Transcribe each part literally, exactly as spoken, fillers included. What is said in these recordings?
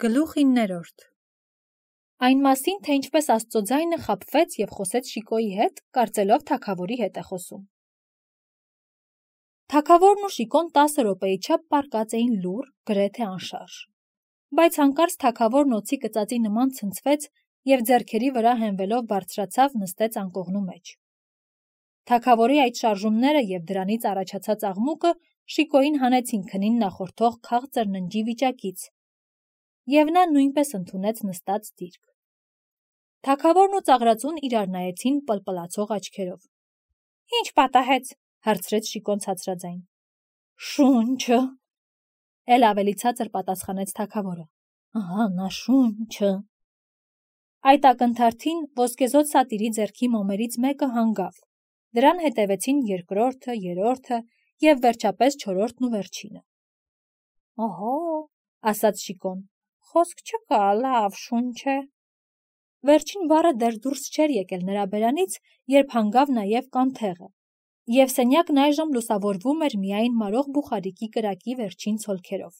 Գլուխ իններորդ Այն մասին, թե ինչպես Աստծո ձայնը խաբվեց և խոսեց Շիկոյի հետ, կարծելով թագավորի հետ է խոսում։ Թագավորն ու Շիկոն տասը րոպեի չափ պառկած էին լուռ, գրեթե անշարժ։ Բայց հանկարծ թագավորն օձի կծածի նման ցնցվեց և ձեռքերի վրա հենվելով բարձրացավ նստեց անկողնու մեջ։ Թագավորի այդ շարժումները և դրանից առաջացած աղմուկը Շիկոյին հանեցին քնին նախորդող քաղցր ննջի վիճակից, և նա նույնպես ընդունեց նստած դիրք։ Թագավորն ու ծաղրածուն իրար նայեցին պլպլացող աչքերով։ Ինչ պատահեց, հարցրեց Շիկոն ցածրաձայն։ Շունչը, էլ ավելի ցածր պատասխանեց թագավորը։ Ահա նա շունչը։ Այդ ակնթարթին ոսկեզօծ սատիրի ձեռքի մոմերից մեկը հանգավ, դրան հետևեցին երկրորդը, երրորդը և վերջապես չորրորդն ու վերջինը։ Օհո, ասաց Շիկոն, խոսք չկա, լավ շունչ է։ Վերջին բառը դեռ դուրս չէր եկել նրա բերանից, երբ հանգավ նաև կանթեղը, և սենյակն այժմ լուսավորվում էր միայն մարող բուխարիկի կրակի վերջին ցոլքերով։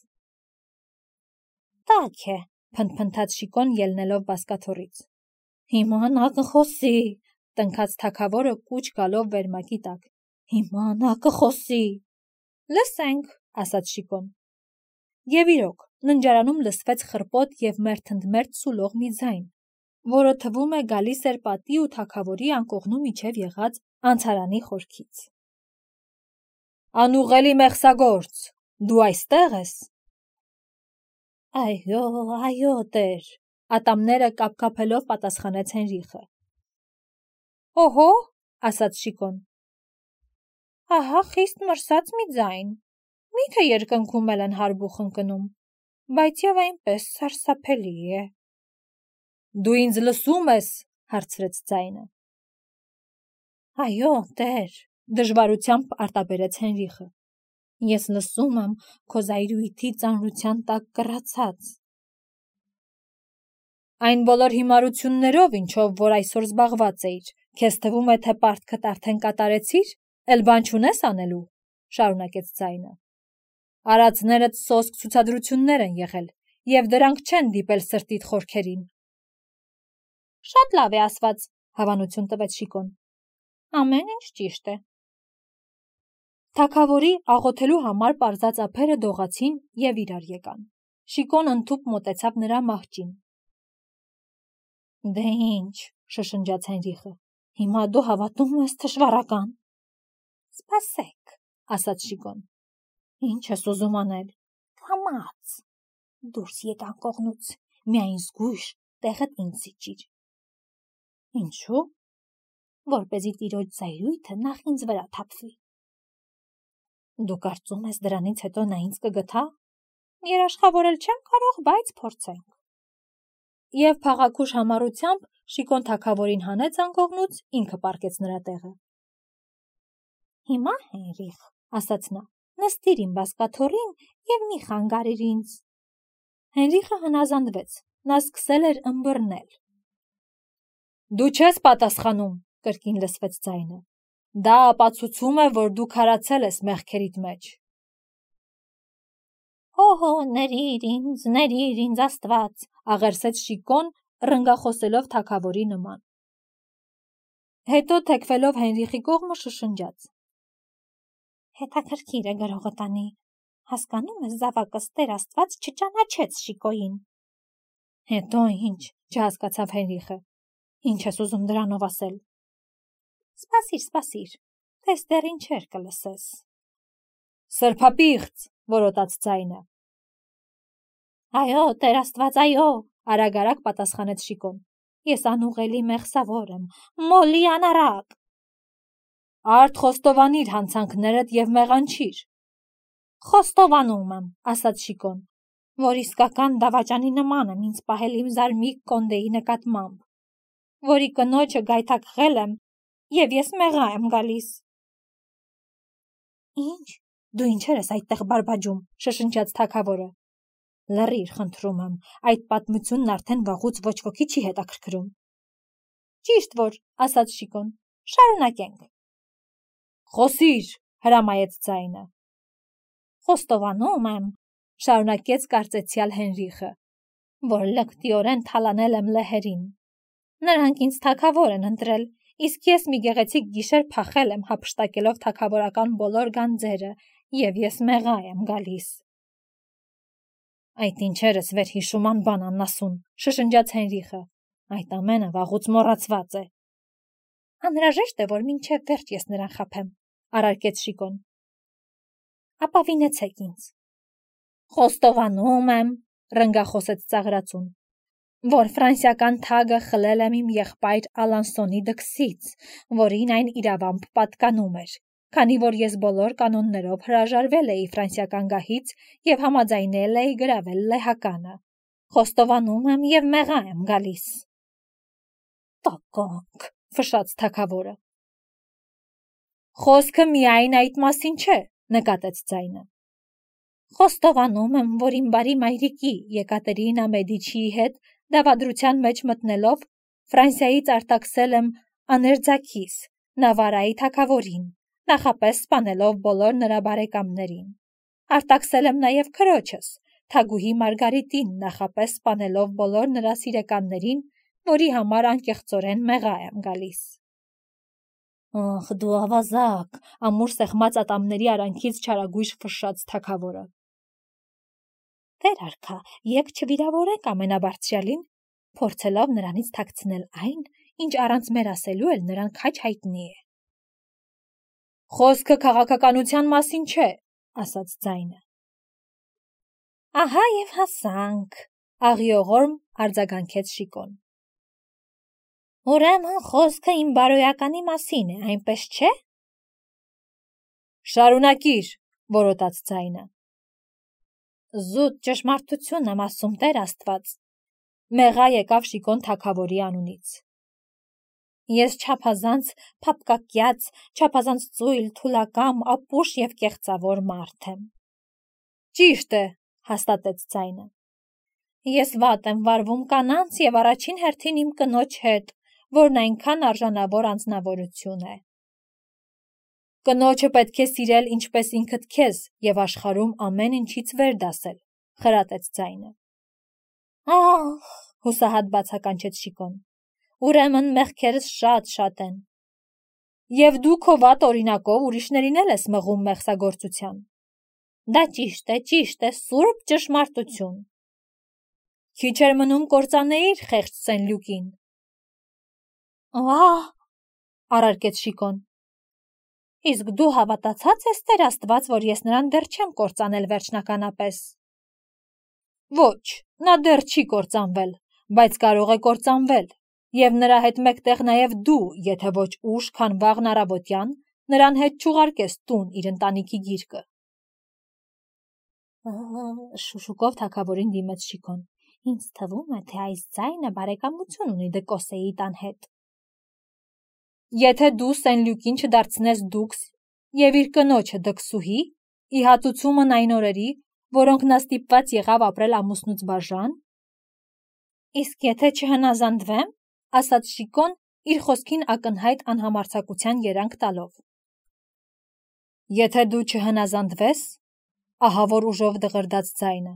Տաք է, փնթփնթաց Շիկոն ելնելով բազկաթոռից։ Հիմա նա կխոսի, տնքաց թագավորը կուչ գալով վերմակի տակ։ Հիմա նա կխոսի։ Լսենք, ասաց Շիկոն։ Եվ իրոք, ննջարանում լսվեց խռպոտ և մերթընդմերթ սուլող մի ձայն, որը թվում է գալիս էր պատի ու թագավորի անկողնու միջև եղած անցարանի խորքից։ Անուղելի մեղսագործ, դու այստեղ ես։ Այո, այո, տեր, ատամները կապկապելով պատասխանեց Հենրիխը։ Օհո, ասաց Շիկոն։ Ահա խիստ մրսած մի ձայն, միթե երկնքում էլ են հարբուխ ընկնում, բայց և այնպես սարսափելի է։ Դու ինձ լսում ես, հարցրեց ձայնը։ Այո, տեր, դժվարությամբ արտաբերեց Հենրիխը։ Ես լսում եմ քո զայրույթի ծանրության տակ կռացած։ Այն բոլոր հիմարություններով, ինչով որ այսօր զբաղված էիր, քեզ թվում է, թե պարտքդ արդեն կատարեցիր, էլ բան չունես անելու, շարունակեց ձայնը։ Արածներդ սոսկ ցուցադրություններ են եղել, և դրանք չեն դիպել սրտիդ խորքերին։ Շատ լավ է ասված, հավանություն տվեց Շիկոն։ Ամեն ինչ ճիշտ է։ Թագավորի աղոթելու համար պարզած ափերը դողացին և իրար եկան։ Շիկոն ընդհուպ մոտեցավ նրա մահճին։ Դե ինչ, շշնջաց Հենրիխը, հիմա դու հավատում ես թշվառական։ Սպասեք, ասաց Շիկոն։ Ինչ ես ուզում անել։ Կամաց։ Դուրս եկ անկողնուց, միայն զգույշ տեղդ ինձ զիջիր։ Ինչու՞։ Որպեսզի տիրոջ զայրույթը նախ ինձ վրա թափվի։ Դու կարծում ես դրանից հետո նա ինձ կգթա։ Երաշխավորել չեմ կարող, բայց փորձենք։ Եվ փաղաքուշ համառությամբ Շիկոն թագավորին հանեց անկողնուց, ինքը պառկեց նրա տեղը։ Հիմա, Հենրիխ, ասաց նա, նստիր իմ բազկաթոռին և մի խանգարիր ինձ։ Հենրիխը հնազանդվեց, նա սկսել էր ըմբռնել։ Դու չես պատասխանում, կրկին լսվեց ձայնը։ Դա ապացուցում է, որ դու քարացել ես մեղքերիդ մեջ։ Օհո, ներիր ինձ, ներիր ինձ Աստված, աղերսեց Շիկոն, ռնգախոսելով թագավորի նման։ Հետո թեքվելով Հենրիխի կողմը շշնջաց. Հետաքրքիր է գրողը տանի, հասկանում ես զավակս Տեր Աստված չճանաչեց Շիկոյին։ Հետո ինչ, չհասկացավ Հենրիխը, ինչ ես ուզում դրանով ասել։ Սպասիր, սպասիր, տես դեռ ինչեր կլսես։ Սրբապիղծ, որոտաց ձայնը։ Այո, Տեր Աստված, այո, արագ-արագ պատասխանեց Շիկոն։ Ես անուղելի մեղսավոր եմ, մոլի անառակ։ Արդ խոստովանիր հանցանքներդ և մեղանչիր։ Խոստովանում եմ, ասաց Շիկոն, որ իսկական դավաճանի նման եմ ինձ պահել իմ զարմիկ կոնդեի նկատմամբ, որի կնոջը գայթակղել եմ, և ես մեղա եմ գալիս։ Ինչ, դու ինչեր ես այդտեղ բարբաջում, շշնջաց թագավորը։ Լռիր, խնդրում եմ, այդ պատմությունն արդեն վաղուց ոչ ոքի չի հետաքրքրում։ Ճիշտ որ, ասաց Շիկոն, շարունակենք։ Խոսիր, հրամայեց ձայնը։ Խոստովանում եմ, շարունակեց կարծեցյալ Հենրիխը, որ լկտիորեն թալանել եմ լեհերին։ Նրանք ինձ թագավոր են ընտրել, իսկ ես մի գեղեցիկ գիշեր փախել եմ հափշտակելով թագավորական բոլոր գանձերը, և ես մեղա եմ գալիս։ Այդ ինչերս վերհիշուման բան աննասուն, շշնջաց Հենրիխը, այդ ամենը վաղուց մոռացված է։ Անհրաժեշտ է, որ մինչև վերջ ես նրան խաբեմ, առարկեց Շիկոն։ Ապավինեցեք ինձ։ Խոստովանում եմ, ռնգախոսեց ծաղրածուն, որ ֆրանսիական թագը խլել եմ իմ եղբայր Ալանսոնի դքսից, որին այն իրավամբ պատկանում էր, քանի որ ես բոլոր կանոններով հրաժարվել էի ֆրանսիական գահից և համաձայնել էի գրավել լեհականը։ Խոստովանում եմ և մեղա եմ գալիս։ Տականք, ֆշաց թագավորը։ Խոսքը միայն այդ մասին չէ, նկատեց ձայնը։ Խոստովանում եմ, որ իմ բարի մայրիկի Եկատերինա Մեդիչիի հետ դավադրության մեջ մտնելով Ֆրանսիայից արտաքսել եմ աներձակիս Նավարայի թագավորին, նախապես սպանելով բոլոր նրա բարեկամներին։ Արտաքսել եմ նաև քրոջս, թագուհի Մարգարիտին, նախապես սպանելով բոլոր նրա սիրեկաններին, որի համար անկեղծորեն մեղա եմ գալիս։ Ախ, դու ավազակ, ամուր սեղմած ատամների արանքից չարագույժ ֆշշաց թագավորը։ Տեր արքա, եկ չվիրավորեք ամենաբարձրյալին, փորձելով նրանից թաքցնել այն, ինչ առանց մեր ասելու էլ նրան քաջ հայտնի է։ Խոսքը քաղաքականության մասին չէ, ասաց ձայնը։ Ահա և հասանք, աղիողորմ արձագանքեց Շիկոն։ Ուրեմն խոսքը իմ բարոյականի մասին է, այնպես չէ։ Շարունակիր, որոտաց ձայնը։ Զուտ ճշմարտություն եմ ասում, Տեր Աստված, մեղա եկավ Շիկոն թագավորի անունից։ Ես չափազանց փափկակյաց, չափազանց ծույլ, թուլակամ, ապուշ և կեղծավոր մարդ եմ։ Ճիշտ է, հաստատեց ձայնը։ Ես վատ եմ վարվում կանանց և առաջին հերթին իմ կնոջ հետ, որն այնքան արժանավոր անձնավորություն է։ Կնոջը պետք է սիրել ինչպես ինքդ քեզ և աշխարհում ամեն ինչից վեր դասել, խրատեց ձայնը։ Ահ, հուսահատ բացականչեց Շիկոն։ Ուրեմն մեղքերս շատ-շատ են։ Եվ դու քո վատ օրինակով ուրիշներին էլ ես մղում մեղսագործության։ Դա ճիշտ է, ճիշտ է, սուրբ ճշմարտություն։ Քիչ էր մնում կործանեիր խեղճ Սեն-Լյուկին։ Ահ, առարկեց Շիկոն։ Իսկ դու հավատացած ես, Տեր Աստված, որ ես նրան դեռ չեմ կործանել վերջնականապես։ Ոչ, նա դեռ չի կործանվել, բայց կարող է կործանվել, և նրա հետ մեկտեղ նաև դու, եթե ոչ ուշ, քան վաղն առավոտյան, նրան հետ չուղարկես տուն իր ընտանիքի գիրկը։ Շուշուկով թագավորին դիմեց Շիկոն։ Ինձ թվում է, թե այս ձայնը բարեկամություն ունի Դկոսեի տան հետ։ Եթե դու Սեն-Լյուկին չդարձնես դուքս և իր կնոջը դքսուհի, ի հատուցումն այն օրերի, որոնք նա ստիպված եղավ ապրել ամուսնուց բաժան։ Իսկ եթե չհնազանդվեմ, ասաց Շիկոն, իր խոսքին ակնհայտ անհամարձակության երանգ տալով։ Եթե դու չհնազանդվես, ահա որ ուժով դղրդաց ձայնը,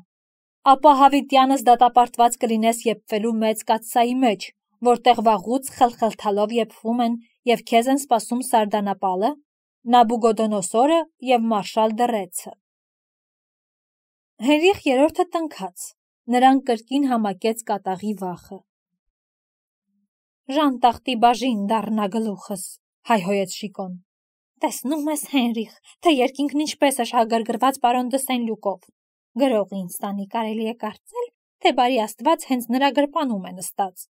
ապա հավիտյանս դատապարտված կլինես եփվելու մեծ կաթսայի մեջ, որտեղ վաղուց խլխլթալով եփվում են և քեզ են սպասում Սարդանապալը, Նաբուգոդոնոսորը և մարշալ Դռեցը։ Հենրիխ երրորդը տնքաց, նրան կրկին համակեց կատաղի վախը։ Ժանտախտի բաժին դառնա գլուխս, հայհոյեց Շիկոն։ Տեսնում ես, Հենրիխ, թե երկինքն ինչպես է շահագրգռված պարոն դը Սեն-Լյուկով։ Գրողը ինձ տանի կարելի է կարծել, թե բարի Աստված հենց նրա գրպանում է նստած։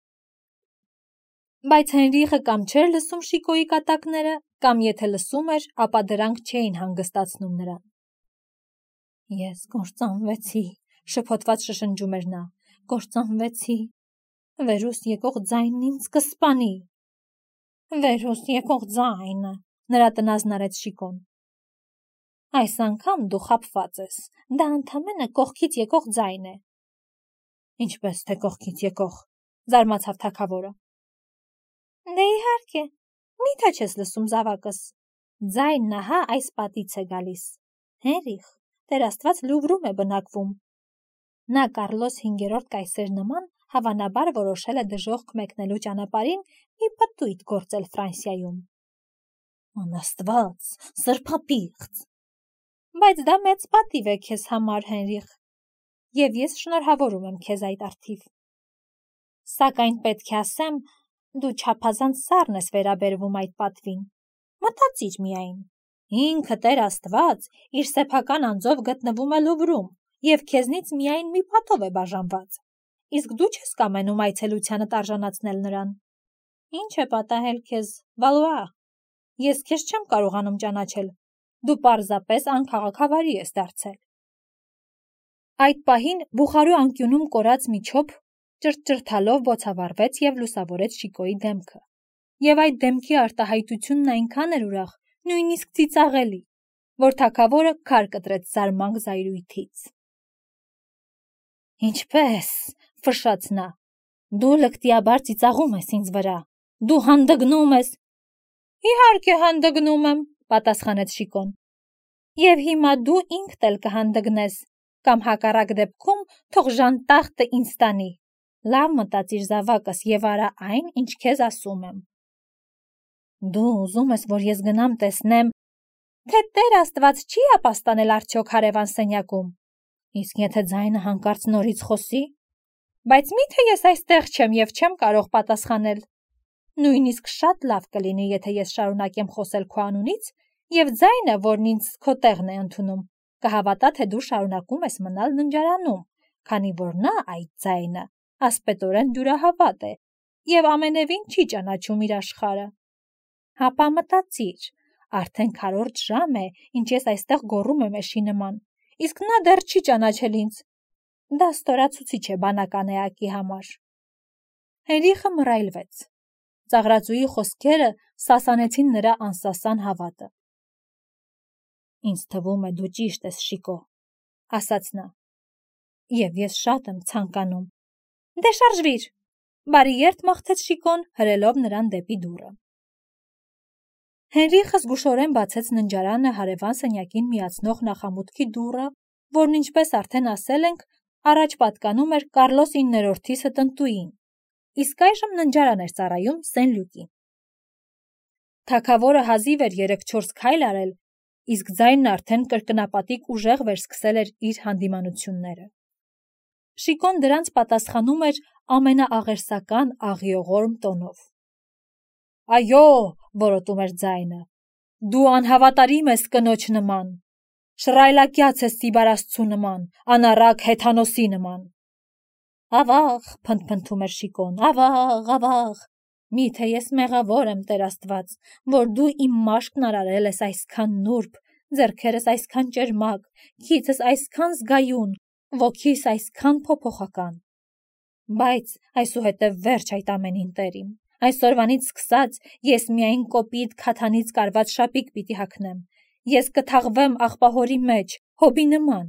Բայց Հենրիխը կամ չէր լսում Շիկոյի կատակները, կամ եթե լսում էր, ապա դրանք չէին հանգստացնում նրան։ Ես կործանվեցի, շփոթված շշնջում էր նա, կործանվեցի, վերուս եկող ձայնն ինձ կսպանի։ Վերուս եկող ձայնը, նրա տնազն արեց Շիկոն։ Այս անգամ դու խաբված ես, դա ընդամենը կողքից եկող ձայն է։ Ինչպես թե կողքից եկող, զարմացավ թագավորը։ Դե իհարկե, մի՞թե չես լսում զավակս։ Ձայնն ահա այս պատից է գալիս։ Հենրիխ, Տեր Աստված Լուվրում է բնակվում։ Նա Կարլոս հինգերորդ կայսեր նման հավանաբար որոշել է դժոխք մեկնելու ճանապարհին մի պտույտ գործել Ֆրանսիայում։ Անաստված, սրբապիղծ։ Բայց դա մեծ պատիվ է քեզ համար, Հենրիխ, և ես շնորհավորում եմ քեզ այդ առթիվ։ Սակայն պետք է ասեմ, դու չափազանց սառն ես վերաբերվում այդ պատվին։ Մտածիր միայն, ինքը Տեր Աստված իր սեփական անձով գտնվում է Լուվրում, և քեզնից միայն մի պատով է բաժանված, իսկ դու չես կամենում այցելությանդ արժանացնել նրան։ Ինչ է պատահել քեզ, Վալուա, ես քեզ չեմ կարողանում ճանաչել, դու պարզապես անքաղաքավարի ես դարձել։ Այդ պահին Բուխարու անկյունում կորած մի չոփ ճրճրթալով բոցավառվեց և լուսավորեց Շիկոյի դեմքը, և այդ դեմքի արտահայտությունն այնքան էր ուրախ, նույնիսկ ծիծաղելի, որ թագավորը քար կտրեց զարմանք զայրույթից։ Ինչպե՞ս, ֆշշաց նա, դու լկտիաբար ծիծաղում ես ինձ վրա, դու հանդգնում ես։ Իհարկե հանդգնում եմ, պատասխանեց Շիկոն, և հիմա դու ինքդ էլ կհանդգնես, կամ հակառակ դեպքում թող ժանտախտը ինձ տանի։ Լավ մտածիր զավակս և արա այն, ինչ քեզ ասում եմ։ Դու ուզում ես, որ ես գնամ տեսնեմ, թե Տեր Աստված չի ապաստանել արդյոք հարևան սենյակում, իսկ եթե ձայնը հանկարծ նորից խոսի, բայց միթե ես այստեղ չեմ և չեմ կարող պատասխանել։ Նույնիսկ շատ լավ կլինի, եթե ես շարունակեմ խոսել քո անունից, և ձայնը, որն ինձ քո տեղն է ընդունում, կհավատա, թե դու շարունակում ես մնալ ննջարանում, քանի որ նա այդ ձայնը ասպետորեն դյուրահավատ է և ամենևին չի ճանաչում իր աշխարհը։ Հապա մտածիր, արդեն քառորդ ժամ է, ինչ ես այստեղ գոռում եմ էշի նման, իսկ նա դեռ չի ճանաչել ինձ։ Դա ստորացուցիչ է բանական էակի համար։ Հենրիխը մռայլվեց։ Ծաղրածուի խոսքերը սասանեցին նրա անսասան հավատը։ Ինձ թվում է դու ճիշտ ես, Շիկո, ասաց նա, և ես շատ եմ ցանկանում։ Դե շարժվիր, բարի երդ մաղթեց Շիկոն, հրելով նրան դեպի դուռը։ Հենրիխը զգուշորեն բացեց ննջարանը հարևան սենյակին միացնող նախամուտքի դուռը, որն ինչպես արդեն ասել ենք, առաջ պատկանում էր Կարլոս իններորդի ստնտուին, իսկ այժմ ննջարան էր ծառայում Սեն-Լյուկին։ Թագավորը հազիվ էր երեք-չորս քայլ արել, իսկ ձայնն արդեն կրկնապատիկ ուժեղ վերսկսել էր իր հանդիմանությունները։ Շիկոն դրանց պատասխանում էր ամենաաղերսական աղիողորմ տոնով։ Այո, որոտում էր ձայնը, դու անհավատարիմ ես կնոջ նման, շռայլակյաց ես Տիբար աստծու նման, անառակ հեթանոսի նման։ Ավաղ, փնթփնթում էր Շիկոն, ավաղ, ավաղ, միթե ես մեղավոր եմ, Տեր Աստված, որ դու իմ մաշկն արարել ես այսքան նուրբ, ձեռքերս այսքան ճերմակ, քիցս այսքան զգայուն, ոգիս այսքան փոփոխական։ Բայց այսուհետև վերջ այդ ամենին, Տեր իմ, այսօրվանից սկսած ես միայն կոպիտ քաթանից կարված շապիկ պիտի հագնեմ, ես կթաղվեմ աղբահորի մեջ, հոբի նման,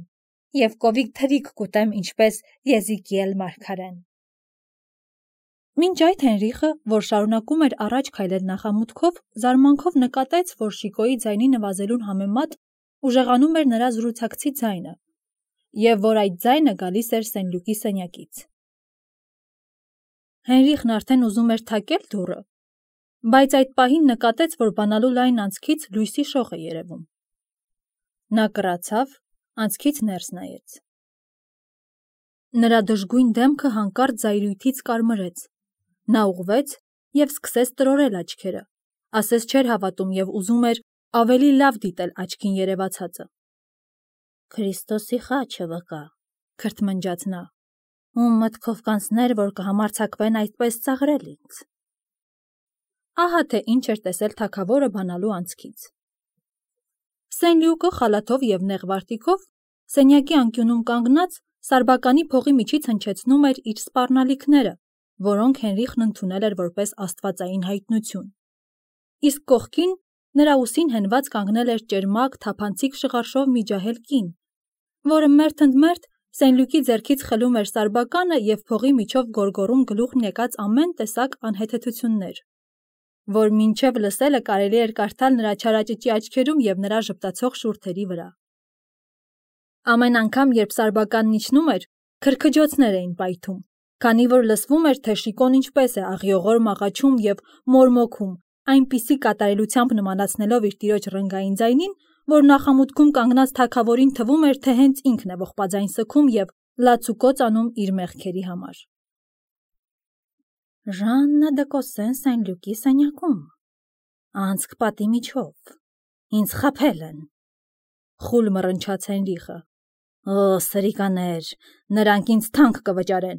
և կովիկ թրիք կուտեմ, ինչպես Եզիկիել մարգարեն։ Մինչ այդ Հենրիխը, որ շարունակում էր առաջ քայլել նախամուտքով, զարմանքով նկատեց, որ Շիկոյի ձայնի նվազելուն համեմատ ուժեղանում էր նրա զրուցակցի ձայնը, և որ այդ ձայնը գալիս էր Սեն-Լյուկի սենյակից։ Հենրիխն արդեն ուզում էր թակել դուռը, բայց այդ պահին նկատեց, որ բանալու լայն անցքից լույսի շող է երևում։ Նա կռացավ, անցքից ներս նայեց։ Նրա դժգույն դեմքը հանկարծ զայրույթից կարմրեց։ Նա ուղղվեց և սկսեց տրորել աչքերը, ասես չէր հավատում և ուզում էր ավելի լավ դիտել աչքին երևացածը։ Քրիստոսի խաչը վկա, քրթմնջաց նա, ում մտքով կանցներ, որ կհամարձակվեն այդպես ծաղրել ինձ։ Ահա թե ինչ էր տեսել թագավորը բանալու անցքից։ Սեն-Լյուկը խալաթով և նեղ վարտիքով սենյակի անկյունում կանգնած սարբականի փողի միջից հնչեցնում էր իր սպառնալիքները, որոնք Հենրիխն ընդունել էր որպես աստվածային հայտնություն։ Իսկ կողքին նրա ուսին հենված կանգնել էր ճերմակ թափանցիկ շղարշով մի ջահել կին, որը մերթ ընդ մերթ Սեն-Լյուկի ձեռքից խլում էր սարբականը և փողի միջով գոռգոռում գլուխն եկած ամեն տեսակ անհեթեթություններ, որ մինչև լսելը կարելի էր կարդալ նրա չարաճճի աչքերում և նրա ժպտացող շուրթերի վրա։ Ամեն անգամ, երբ սարբականն իջնում էր, Քրքջոցներ էին պայթում, քանի որ լսվում էր, թե Շիկոն ինչպես է աղյողոր մաղաչում և մորմոքում, այնպիսի կատարելությամբ նմանացնելով իր տիրոջ ռնգային ձայնին, որ նախամուտքում կանգնած թագավորին թվում էր, թե հենց ինքն է ողբաձայն սգում և լացուկոծ անում իր մեղքերի համար։ Ժաննա դը Կոսսեն Սեն-Լյուկի սենյակում, անցք պատի միջով, ինձ խաբել են, խուլ մռնչաց Հենրիխը։ Օ, սրիկաներ, նրանք ինձ թանկ կվճարեն։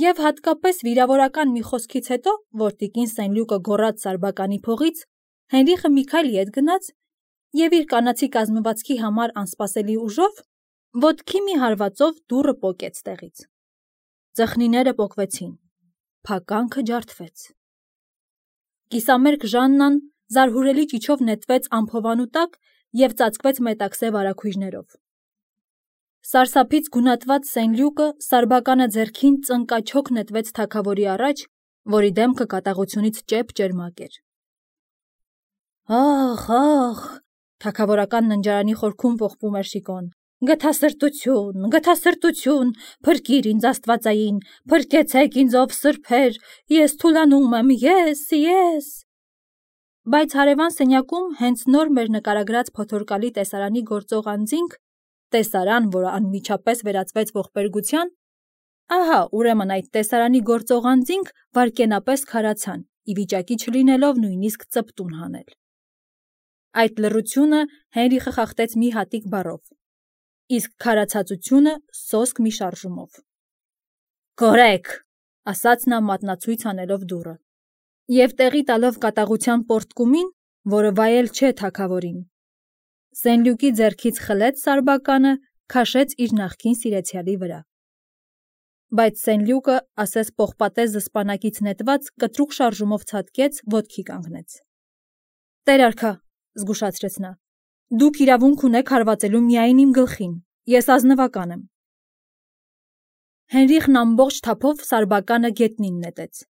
Եվ հատկապես վիրավորական մի խոսքից հետո, որ տիկին Սեն-Լյուկը գոռաց Սարբականի փողից, Հենրիխը մի քայլ ետ գնաց և իր կանացի կազմվածքի համար անսպասելի ուժով ոտքի մի հարվածով դուռը պոկեց տեղից։ Ծխնիները պոկվեցին, փականքը ջարդվեց։ Կիսամերկ Ժաննան զարհուրելի ճիչով նետվեց ամփովանու տակ և ծածկվեց մետաքսե վարագույրներով։ Սարսափից գունատված Սեն-Լյուկը Սարբականը ձեռքին ծնկաչոք նետվեց թագավորի առաջ, որի դեմքը կատաղությունից ճեպ-ճերմակ էր։ Ախ, ախ, թագավորական ննջարանի խորքում ողբում էր Շիկոն։ Գթասրտություն, գթասրտություն, փրկիր ինձ Աստվածային, փրկեցեք ինձ ով սրբեր, ես թուլանում եմ, ես, ես։ Բայց հարևան սենյակում հենց նոր մեր նկարագրած փոթորկալի տեսարանի գործող անձինք, տեսարան, որը անմիջապես վերածվեց ողբերգության, ահա ուրեմն այդ տեսարանի գործող անձինք վայրկենապես քարացան, ի վիճակի չլինելով նույնիսկ ծպտուն հանել։ Այդ լռությունը Հենրիխը խախտեց մի հատիկ բառով, իսկ քարացածությունը սոսկ մի շարժումով։ Կորեք, ասաց նա մատնացույց անելով դուռը, և տեղի տալով կատաղության պոռթկումին, որը վայել չէ թագավորին, Սեն-Լյուկի ձեռքից խլեց Սարբականը, քաշեց իր նախկին սիրեցյալի վրա։ Բայց Սեն-Լյուկը, ասես պողպատե զսպանակից նետված, կտրուկ շարժումով ցատկեց, ոտքի կանգնեց։ Տեր արքա, զգուշացրեց նա, դուք իրավունք ունեք հարվածելու միայն իմ գլխին, ես ազնվական եմ։ Հենրիխն ամբողջ թափով Սարբականը գետնին նետեց։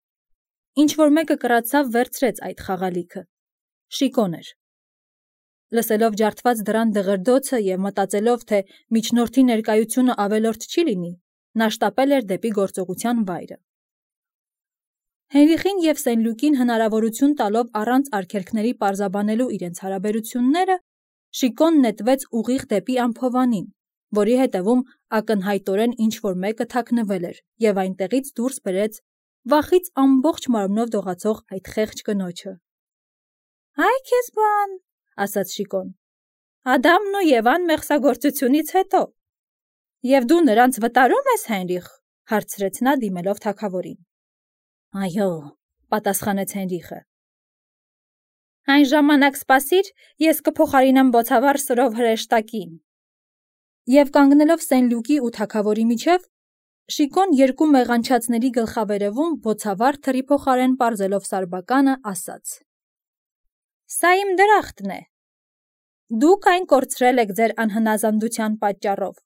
Ինչ-որ մեկը կռացավ վերցրեց այդ խաղալիքը։ Շիկոն էր։ Լսելով ջարդված դռան դղրդոցը և մտածելով, թե միջնորդի ներկայությունը ավելորդ չի լինի, նա շտապել էր դեպի գործողության վայրը։ Հենրիխին և Սեն-Լյուկին հնարավորություն տալով առանց արգելքների պարզաբանելու իրենց հարաբերությունները, Շիկոն նետվեց ուղիղ դեպի ամփովանին, որի հետևում ակնհայտորեն ինչ-որ մեկը թաքնվել էր և այնտեղից դուրս բերեց վախից ամբողջ մարմնով դողացող այդ խեղճ կնոջը։ Այ քեզ բան, ասաց Շիկոն, Ադամն ու Եվան մեղսագործությունից հետո։ Եվ դու նրանց վտարում ես, Հենրիխ, հարցրեց նա դիմելով թագավորին։ Այո, պատասխանեց Հենրիխը։ Այն ժամանակ սպասիր, ես կփոխարինեմ բոցավառ սրով հրեշտակին։ Եվ կանգնելով Սեն-Լյուկի ու թագավորի միջև, Շիկոն երկու մեղանչածների գլխավերևում բոցավառ թրի փոխարեն պարզելով Սարբականը, ասաց. Սա իմ դրախտն է։ Դուք այն կորցրել եք ձեր անհնազանդության պատճառով։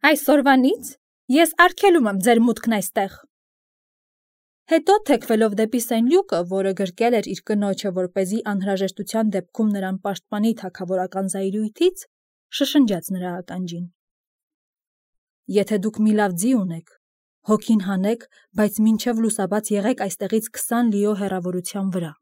Այսօրվանից ես արգելում եմ ձեր մուտքն այստեղ։ Հետո թեքվելով դեպի Սեն-Լյուկը, որը գրկել էր իր կնոջը, որպեսզի անհրաժեշտության դեպքում նրան պաշտպանի թագավորական զայրույթից, շշնջաց նրա ականջին. Եթե դուք մի լավ ձի ունեք, հոգին հանեք, բայց մինչև լուսաբաց եղեք այստեղից քսան լիո հեռավորության վրա։